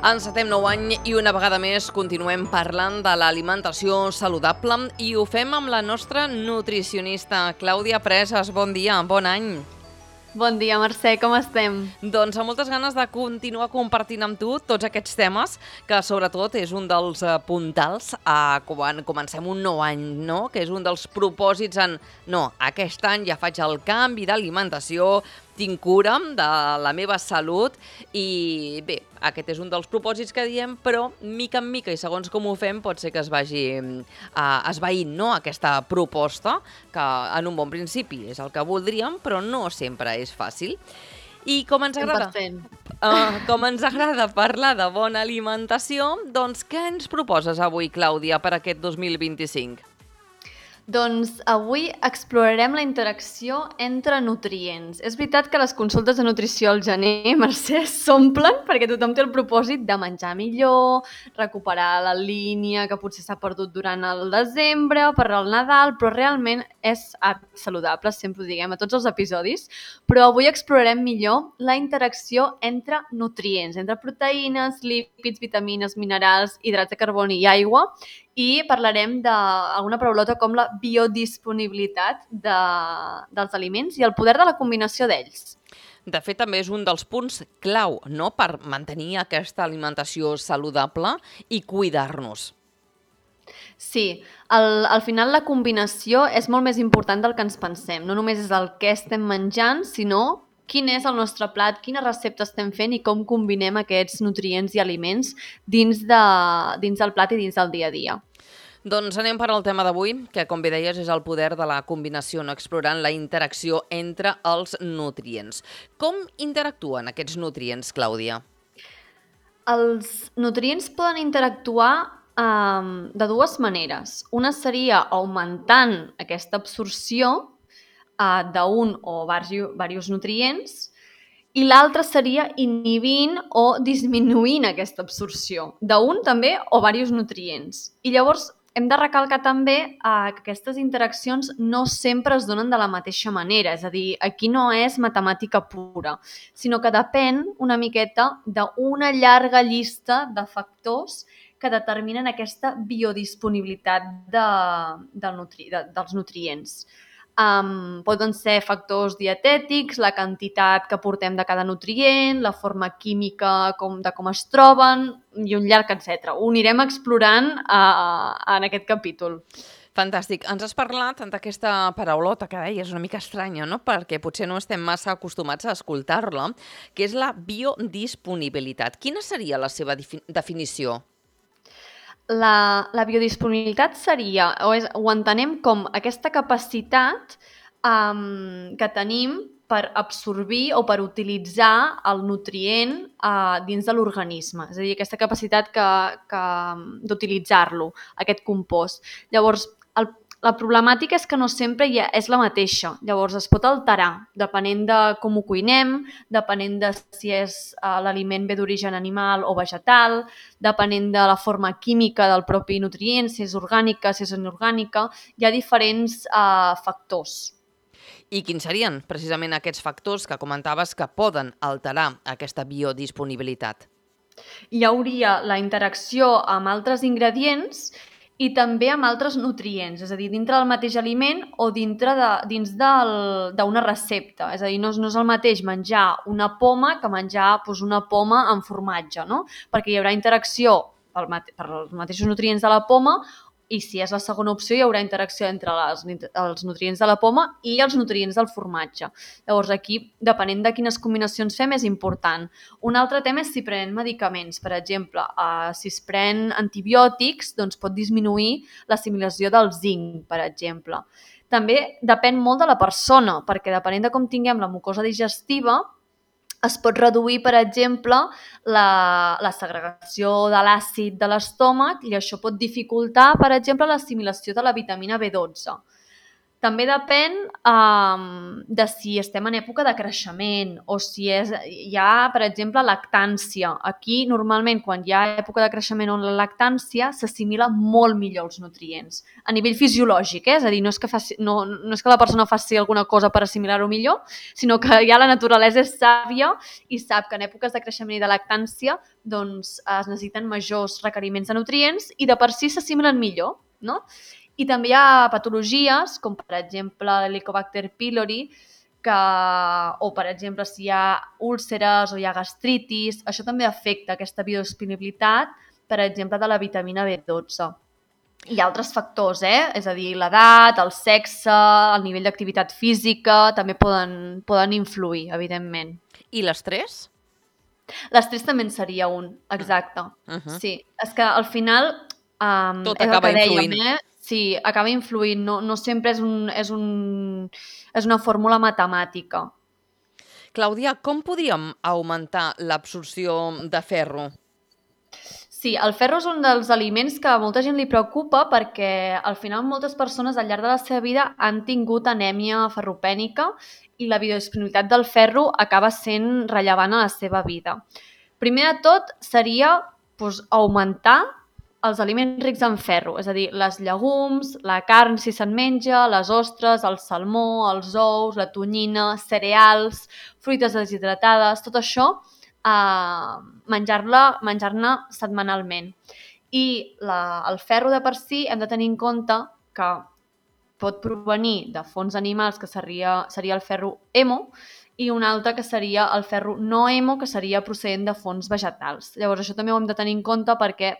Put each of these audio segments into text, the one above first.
Encetem nou any i una vegada més continuem parlant de l'alimentació saludable i ho fem amb la nostra nutricionista, Clàudia Presas. Bon dia, bon any. Bon dia, Mercè, com estem? Doncs amb moltes ganes de continuar compartint amb tu tots aquests temes, que sobretot és un dels puntals quan comencem un nou any, no? Que és un dels propòsits no, aquest any ja faig el canvi d'alimentació, tinc cura de la meva salut i bé, aquest és un dels propòsits que diem, però mica en mica i segons com ho fem pot ser que es vagi esvaint, no? Aquesta proposta, que en un bon principi és el que voldríem, però no sempre és fàcil. I com ens agrada, 100%. com ens agrada parlar de bona alimentació, doncs què ens proposes avui, Clàudia, per aquest 2025? Doncs avui explorarem la interacció entre nutrients. És veritat que les consultes de nutrició al gener, Mercè, s'omplen perquè tothom té el propòsit de menjar millor, recuperar la línia que potser s'ha perdut durant el desembre, per al Nadal, però realment és hàbits saludables, sempre ho diguem a tots els episodis, però avui explorarem millor la interacció entre nutrients, entre proteïnes, lípids, vitamines, minerals, hidrats de carboni i aigua, i parlarem d'alguna paraulota com la biodisponibilitat dels aliments i el poder de la combinació d'ells. De fet, també és un dels punts clau, no?, per mantenir aquesta alimentació saludable i cuidar-nos. Sí, al final la combinació és molt més important del que ens pensem. No només és el que estem menjant, sinó quin és el nostre plat, quina recepta estem fent i com combinem aquests nutrients i aliments dins del plat i dins del dia a dia. Doncs anem per al tema d'avui, que com bé deies és el poder de la combinació, no, explorant la interacció entre els nutrients. Com interactuen aquests nutrients, Clàudia? Els nutrients poden interactuar de dues maneres. Una seria augmentant aquesta absorció d'un o diversos nutrients i l'altra seria inhibint o disminuint aquesta absorció d'un també o diversos nutrients. I llavors hem de recalcar també que aquestes interaccions no sempre es donen de la mateixa manera, és a dir, aquí no és matemàtica pura, sinó que depèn una miqueta d'una llarga llista de factors que determinen aquesta biodisponibilitat dels nutrients. Poden ser factors dietètics, la quantitat que portem de cada nutrient, la forma química de com es troben i un llarg etc. Ho anirem explorant en aquest capítol. Fantàstic. Ens has parlat d'aquesta paraulota que deies una mica estranya, no?, perquè potser no estem massa acostumats a escoltar-la, que és la biodisponibilitat. Quina seria la seva definició? La biodisponibilitat seria, ho entenem com aquesta capacitat que tenim per absorbir o per utilitzar el nutrient dins de l'organisme. És a dir, aquesta capacitat d'utilitzar-lo, aquest compost. Llavors, la problemàtica és que no sempre és la mateixa. Llavors, es pot alterar depenent de com ho cuinem, depenent de si l'aliment ve d'origen animal o vegetal, depenent de la forma química del propi nutrient, si és orgànica, si és inorgànica. Hi ha diferents factors. I quins serien precisament aquests factors que comentaves que poden alterar aquesta biodisponibilitat? Hi hauria la interacció amb altres ingredients i també amb altres nutrients, és a dir, dintre del mateix aliment o dins d'una recepta. És a dir, no és el mateix menjar una poma que menjar una poma amb formatge, no? Perquè hi haurà interacció per els mateixos nutrients de la poma i si és la segona opció hi haurà interacció entre els nutrients de la poma i els nutrients del formatge. Llavors aquí, depenent de quines combinacions fem, és important. Un altre tema és si prenem medicaments. Per exemple, si es pren antibiòtics, doncs pot disminuir l'assimilació del zinc, per exemple. També depèn molt de la persona, perquè depenent de com tinguem la mucosa digestiva, es pot reduir, per exemple, la segregació de l'àcid de l'estómac i això pot dificultar, per exemple, l'assimilació de la vitamina B12. També depèn de si estem en època de creixement o si hi ha, per exemple, lactància. Aquí, normalment, quan hi ha època de creixement o la lactància, s'assimila molt millor els nutrients. A nivell fisiològic, és a dir, no és que la persona faci alguna cosa per assimilar-ho millor, sinó que ja la naturalesa és sàvia i sap que en èpoques de creixement i de lactància doncs, es necessiten majors requeriments de nutrients i de per si s'assimilen millor, no? I també hi ha patologies, com per exemple l'Helicobacter pylori, o per exemple si hi ha úlceres o hi ha gastritis, això també afecta aquesta biodisponibilitat, per exemple, de la vitamina B12. Hi ha altres factors, és a dir, l'edat, el sexe, el nivell d'activitat física, també poden influir, evidentment. I l'estrès? L'estrès també en seria un, exacte. Sí, és que al final Tot és el acaba que dèiem, influint. Sí, acaba influint, no sempre és una fórmula matemàtica. Clàudia, com podríem augmentar l'absorció de ferro? Sí, el ferro és un dels aliments que a molta gent li preocupa perquè al final moltes persones al llarg de la seva vida han tingut anèmia ferropènica i la biodisponibilitat del ferro acaba sent rellevant a la seva vida. Primer de tot seria augmentar els aliments rics en ferro, és a dir, les llegums, la carn si se'n menja, les ostres, el salmó, els ous, la tonyina, cereals, fruites deshidratades, tot això menjar-ne setmanalment. I el ferro de per si hem de tenir en compte que pot provenir de fonts animals, que seria el ferro hemo, i un altre que seria el ferro no hemo, que seria procedent de fonts vegetals. Llavors, això també ho hem de tenir en compte perquè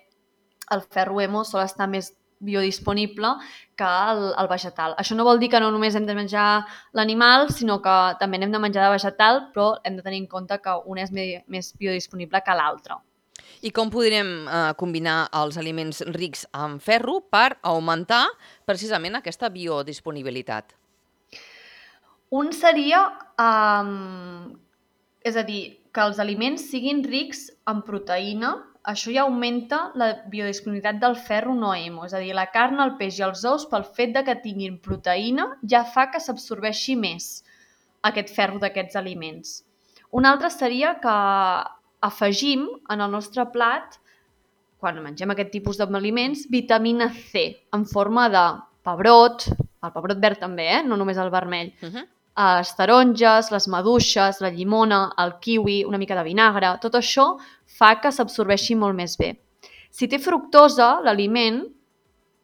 el ferro hemo sol estar més biodisponible que el vegetal. Això no vol dir que no només hem de menjar l'animal, sinó que també n'hem de menjar de vegetal, però hem de tenir en compte que un és més biodisponible que l'altre. I com podrem combinar els aliments rics en ferro per augmentar precisament aquesta biodisponibilitat? Un seria, és a dir, que els aliments siguin rics en proteïna. Això ja augmenta la biodisponibilitat del ferro no hemo, és a dir, la carn, el peix i els ous, pel fet de que tinguin proteïna, ja fa que s'absorbeixi més aquest ferro d'aquests aliments. Un altre seria que afegim en el nostre plat, quan mengem aquest tipus d'aliments, vitamina C, en forma de pebrot, el pebrot verd també, no només el vermell, les taronges, les maduixes, la llimona, el kiwi, una mica de vinagre, tot això fa que s'absorbeixi molt més bé. Si té fructosa, l'aliment,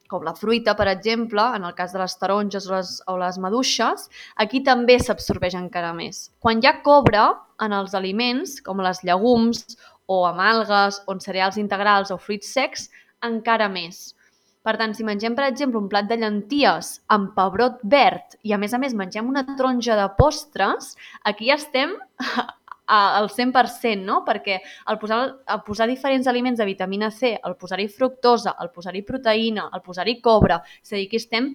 com la fruita, per exemple, en el cas de les taronges o les maduixes, aquí també s'absorbeix encara més. Quan hi ha cobre en els aliments, com les llegums o amb algues o en cereals integrals o fruits secs, encara més. Per tant, si mengem, per exemple, un plat de llenties amb pebrot verd i, a més, mengem una taronja de postres, aquí ja estem al 100%, no? Perquè al posar diferents aliments de vitamina C, al posar-hi fructosa, al posar-hi proteïna, al posar-hi cobre, és a dir, que estem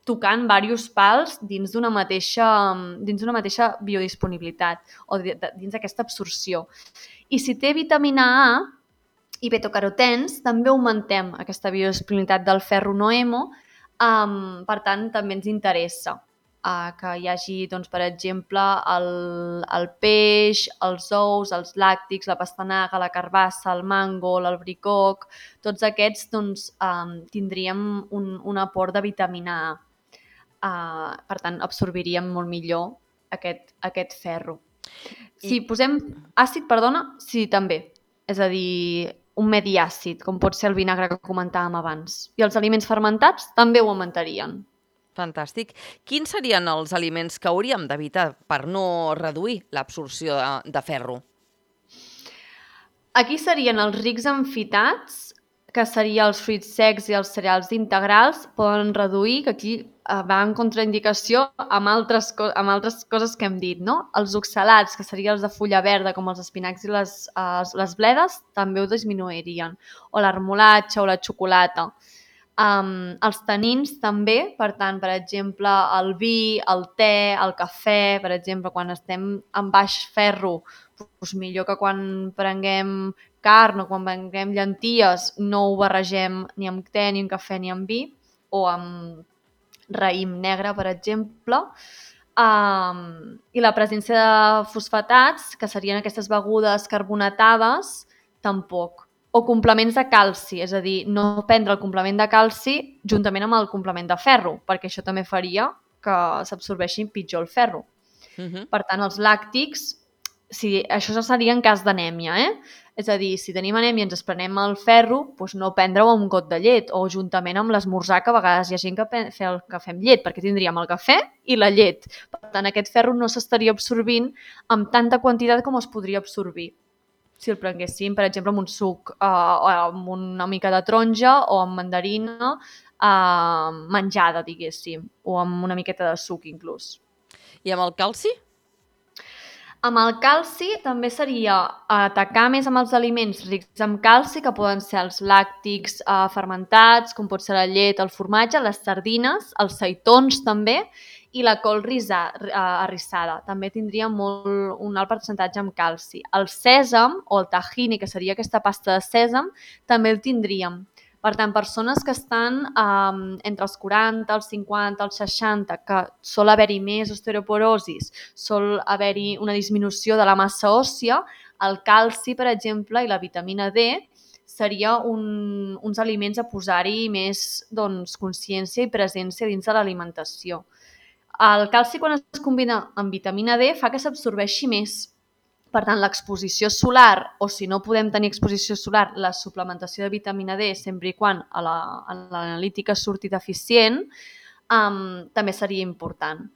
tocant diversos pals dins d'una mateixa biodisponibilitat o dins d'aquesta absorció. I si té vitamina A i betacarotens, també augmentem aquesta biodisponibilitat del ferro no hemo, per tant, també ens interessa que hi hagi, doncs, per exemple, el peix, els ous, els làctics, la pastanaga, la carbassa, el mango, l'albricoc, tots aquests doncs, tindríem un aport de vitamina A. Per tant, absorbiríem molt millor aquest ferro. Si posem àcid, sí, també. És a dir, un medi àcid, com pot ser el vinagre que comentàvem abans. I els aliments fermentats també ho augmentarien. Fantàstic. Quins serien els aliments que hauríem d'evitar per no reduir l'absorció de ferro? Aquí serien els rics en fitats, que serien els fruits secs i els cereals integrals, poden reduir, que aquí va en contraindicació amb altres coses que hem dit, no? Els oxalats, que serien els de fulla verda, com els espinacs i les bledes, també ho disminuirien. O la remolatxa o la xocolata. Els tanins també, per tant, per exemple, el vi, el te, el cafè, per exemple, quan estem en baix ferro, doncs millor que quan prenguem carn o quan prenguem llenties no ho barregem ni amb te, ni amb cafè, ni amb vi, o amb raïm negre, per exemple, i la presència de fosfatats, que serien aquestes begudes carbonatades, tampoc. O complements de calci, és a dir, no prendre el complement de calci juntament amb el complement de ferro, perquè això també faria que s'absorbeixi pitjor el ferro. Per tant, els làctics, això seria en cas d'anèmia, És a dir, si tenim anèmia i ens prenem el ferro, doncs no prendre-ho amb un got de llet o juntament amb l'esmorzar, que a vegades hi ha gent que fem llet, perquè tindríem el cafè i la llet. Per tant, aquest ferro no s'estaria absorbint amb tanta quantitat com es podria absorbir si el prenguéssim, per exemple, amb un suc, amb una mica de taronja o amb mandarina menjada, diguéssim, o amb una miqueta de suc inclús. I amb el calci? Amb el calci també seria atacar més amb els aliments rics en calci, que poden ser els làctics fermentats, com pot ser la llet, el formatge, les sardines, els seitons també, i la col arrissada. També tindria un alt percentatge amb calci. El sèsam o el tahini, que seria aquesta pasta de sèsam, també el tindríem. Per tant, persones que estan entre els 40, els 50, els 60, que sol haver-hi més osteoporosis, sol haver-hi una disminució de la massa òssia, el calci, per exemple, i la vitamina D seria uns aliments a posar-hi més consciència i presència dins de l'alimentació. El calci, quan es combina amb vitamina D, fa que s'absorbeixi més. Per tant, l'exposició solar, o si no podem tenir exposició solar, la suplementació de vitamina D, sempre i quan a l'analítica surti deficient, també seria important.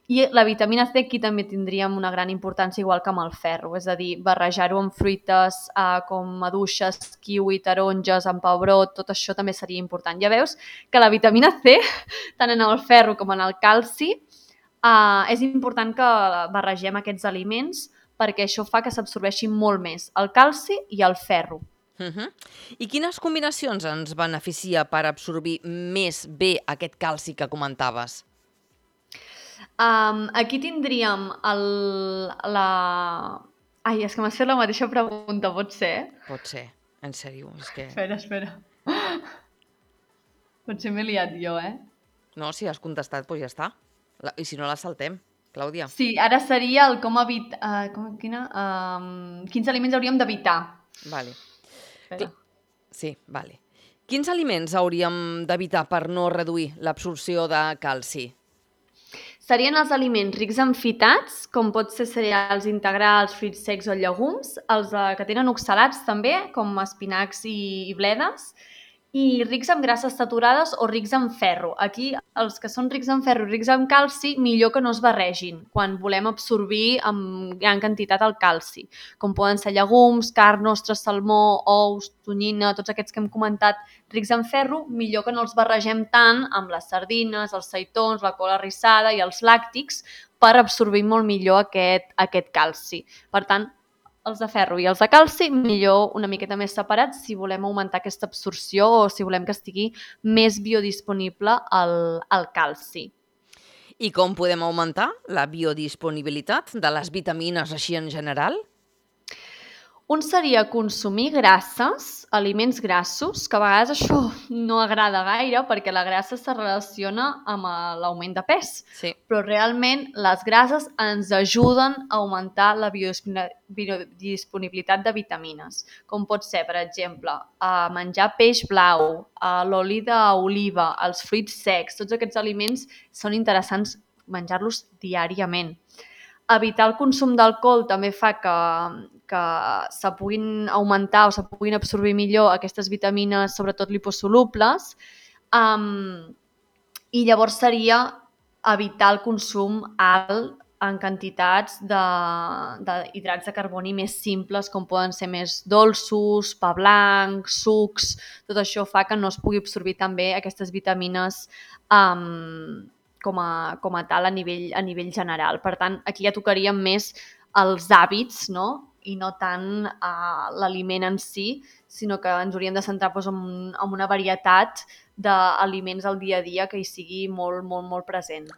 I la vitamina C aquí també tindríem una gran importància, igual que amb el ferro, és a dir, barrejar-ho amb fruites com maduixes, kiwi, taronges, amb pebrot, tot això també seria important. Ja veus que la vitamina C, tant en el ferro com en el calci, és important que barregem aquests aliments perquè això fa que s'absorbeixi molt més el calci i el ferro. I quines combinacions ens beneficia per absorbir més bé aquest calci que comentaves? Aquí tindríem Ai, és que m'has fet la mateixa pregunta, pot ser? Pot ser, en sèrio, és que... Espera. Potser m'he liat jo, No, si has contestat, doncs ja està. I si no, la saltem, Clàudia. Sí, ara seria el com evitar... quins aliments hauríem d'evitar. Vale. Espera. Sí, vale. Quins aliments hauríem d'evitar per no reduir l'absorció de calci? Serien els aliments rics en fitats, com pot ser cereals integrals, fruits secs o llegums, els que tenen oxalats també, com espinacs i bledes, i rics en grasses saturades o rics en ferro. Aquí, els que són rics en ferro i rics en calci, millor que no es barregin quan volem absorbir amb gran quantitat el calci, com poden ser llegums, carn, ostres, salmó, ous, tonyina, tots aquests que hem comentat rics en ferro, millor que no els barregem tant amb les sardines, els seitons, la col arrissada i els làctics per absorbir molt millor aquest calci. Per tant, els de ferro i els de calci, millor una miqueta més separats si volem augmentar aquesta absorció o si volem que estigui més biodisponible el calci. I com podem augmentar la biodisponibilitat de les vitamines així en general? Un seria consumir grasses, aliments grassos, que a vegades això no agrada gaire perquè la grassa se relaciona amb l'augment de pes. Sí. Però realment les grasses ens ajuden a augmentar la biodisponibilitat de vitamines, com pot ser, per exemple, menjar peix blau, l'oli d'oliva, els fruits secs, tots aquests aliments són interessants menjar-los diàriament. Evitar el consum d'alcohol també fa que se puguin augmentar o se puguin absorbir millor aquestes vitamines, sobretot liposolubles, i llavors seria evitar el consum alt en quantitats d'hidrats de carboni més simples, com poden ser més dolços, pa blanc, sucs. Tot això fa que no es pugui absorbir també aquestes vitamines com a tal a nivell general. Per tant, aquí ja tocaríem més els hàbits, no? I no tant l'aliment en si, sinó que ens hauríem de centrar en una varietat d'aliments al dia a dia que hi sigui molt, molt, molt present.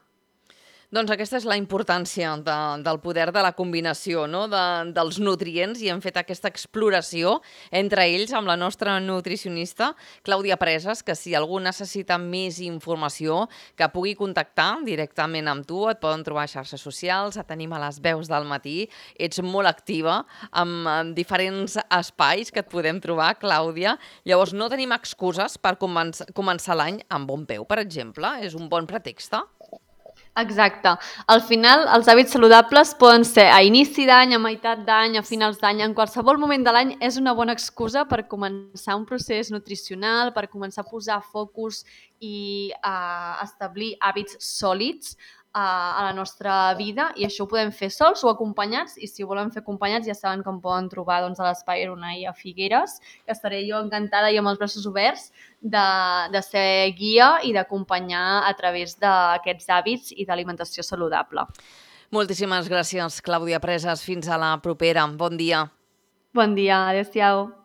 Doncs aquesta és la importància del poder de la combinació, no? Dels nutrients, i hem fet aquesta exploració entre ells amb la nostra nutricionista, Clàudia Preses, que si algú necessita més informació, que pugui contactar directament amb tu, et poden trobar a xarxes socials, et tenim a les veus del matí, ets molt activa amb diferents espais que et podem trobar, Clàudia. Llavors no tenim excuses per començar l'any amb bon peu, per exemple, és un bon pretext. Exacte. Al final, els hàbits saludables poden ser a inici d'any, a meitat d'any, a finals d'any, en qualsevol moment de l'any és una bona excusa per començar un procés nutricional, per començar a posar focus i a establir hàbits sòlids a la nostra vida, i això ho podem fer sols o acompanyats, i si ho volen fer acompanyats ja saben que em poden trobar doncs, a l'Espai Aronai a Figueres, que estaré jo encantada i amb els braços oberts de ser guia i d'acompanyar a través d'aquests hàbits i d'alimentació saludable. Moltíssimes gràcies, Clàudia Preses. Fins a la propera. Bon dia. Bon dia, adéu-siau.